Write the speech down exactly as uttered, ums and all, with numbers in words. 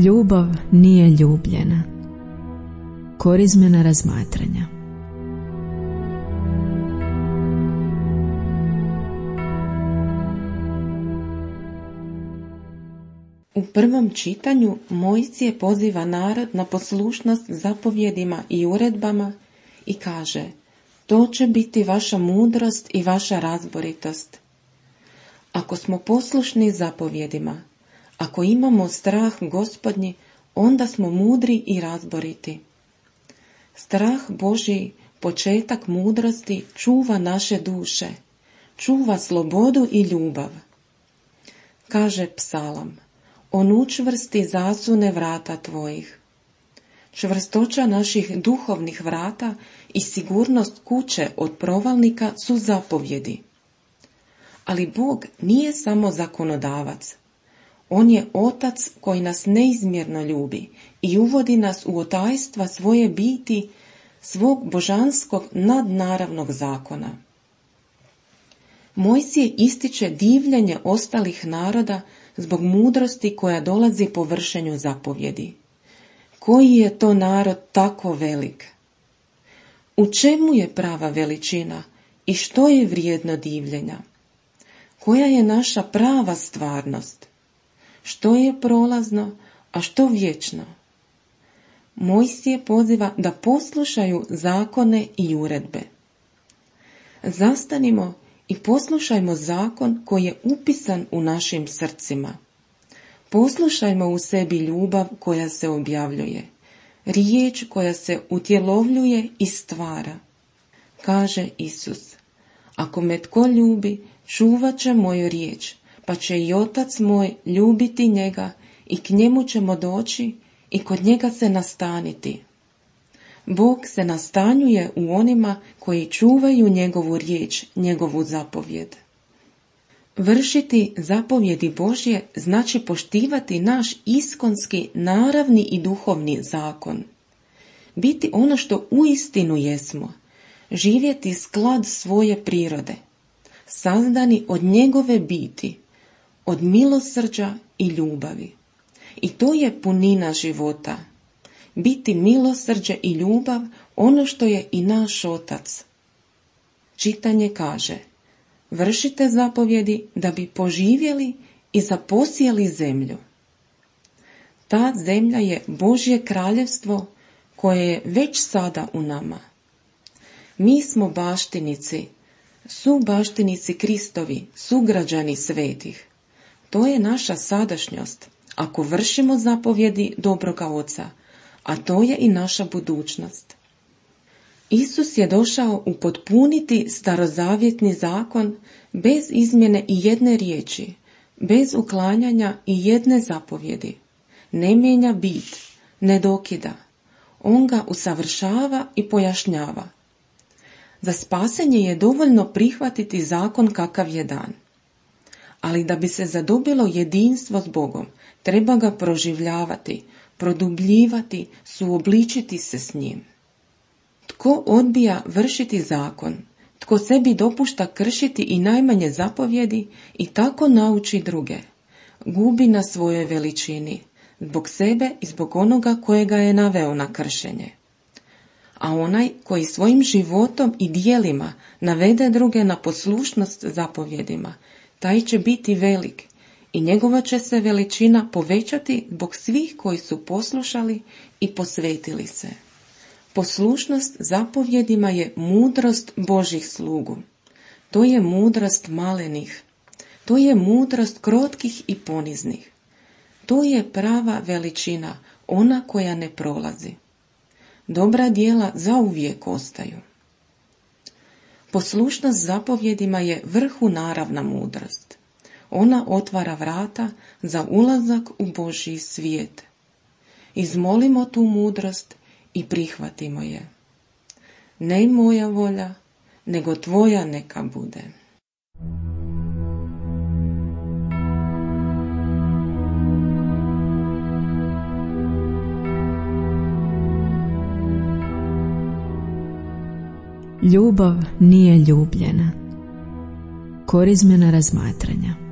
Ljubav nije ljubljena. Korizmena razmatranja. U prvom čitanju Mojsije poziva narod na poslušnost zapovjedima i uredbama i kaže: to će biti vaša mudrost i vaša razboritost. Ako smo poslušni zapovjedima, ako imamo strah Gospodnji, onda smo mudri i razboriti. Strah Božji, početak mudrosti, čuva naše duše, čuva slobodu i ljubav. Kaže psalam: on učvrsti zasune vrata tvojih. Čvrstoća naših duhovnih vrata i sigurnost kuće od provalnika su zapovjedi. Ali Bog nije samo zakonodavac. On je Otac koji nas neizmjerno ljubi i uvodi nas u otajstva svoje biti, svog božanskog nadnaravnog zakona. Mojsije ističe divljenje ostalih naroda zbog mudrosti koja dolazi po vršenju zapovjedi. Koji je to narod tako velik? U čemu je prava veličina i što je vrijedno divljenja? Koja je naša prava stvarnost? Što je prolazno, a što vječno? Mojsije poziva da poslušaju zakone i uredbe. Zastanimo i poslušajmo zakon koji je upisan u našim srcima. Poslušajmo u sebi ljubav koja se objavljuje, riječ koja se utjelovljuje i stvara. Kaže Isus: ako me tko ljubi, čuvat će moju riječ, pa će i Otac moj ljubiti njega i k njemu ćemo doći i kod njega se nastaniti. Bog se nastanjuje u onima koji čuvaju njegovu riječ, njegovu zapovjed. Vršiti zapovjedi Božje znači poštivati naš iskonski, naravni i duhovni zakon. Biti ono što uistinu jesmo, živjeti sklad svoje prirode, sazdani od njegove biti, od milosrđa i ljubavi. I to je punina života. Biti milosrđe i ljubav, ono što je i naš Otac. Čitanje kaže: vršite zapovjedi da bi poživjeli i zaposjeli zemlju. Ta zemlja je Božje kraljevstvo koje je već sada u nama. Mi smo baštinici, subaštinici Kristovi, sugrađani svetih. To je naša sadašnjost, ako vršimo zapovjedi dobroga Oca, a to je i naša budućnost. Isus je došao upotpuniti starozavjetni zakon bez izmjene i jedne riječi, bez uklanjanja i jedne zapovjedi. Ne mijenja bit, ne dokida. On ga usavršava i pojašnjava. Za spasenje je dovoljno prihvatiti zakon kakav je dan. Ali da bi se zadobilo jedinstvo s Bogom, treba ga proživljavati, produbljivati, suobličiti se s njim. Tko odbija vršiti zakon, tko sebi dopušta kršiti i najmanje zapovjedi i tako nauči druge, gubi na svojoj veličini, zbog sebe i zbog onoga kojega je naveo na kršenje. A onaj koji svojim životom i dijelima navede druge na poslušnost zapovjedima, taj će biti velik i njegova će se veličina povećati zbog svih koji su poslušali i posvetili se. Poslušnost zapovjedima je mudrost Božjih slugu. To je mudrost malenih. To je mudrost krotkih i poniznih. To je prava veličina, ona koja ne prolazi. Dobra djela zauvijek ostaju. Poslušnost zapovjedima je vrhunaravna mudrost. Ona otvara vrata za ulazak u Božji svijet. Izmolimo tu mudrost i prihvatimo je. Ne moja volja, nego tvoja neka bude. Ljubav nije ljubljena. Korizmena razmatranja.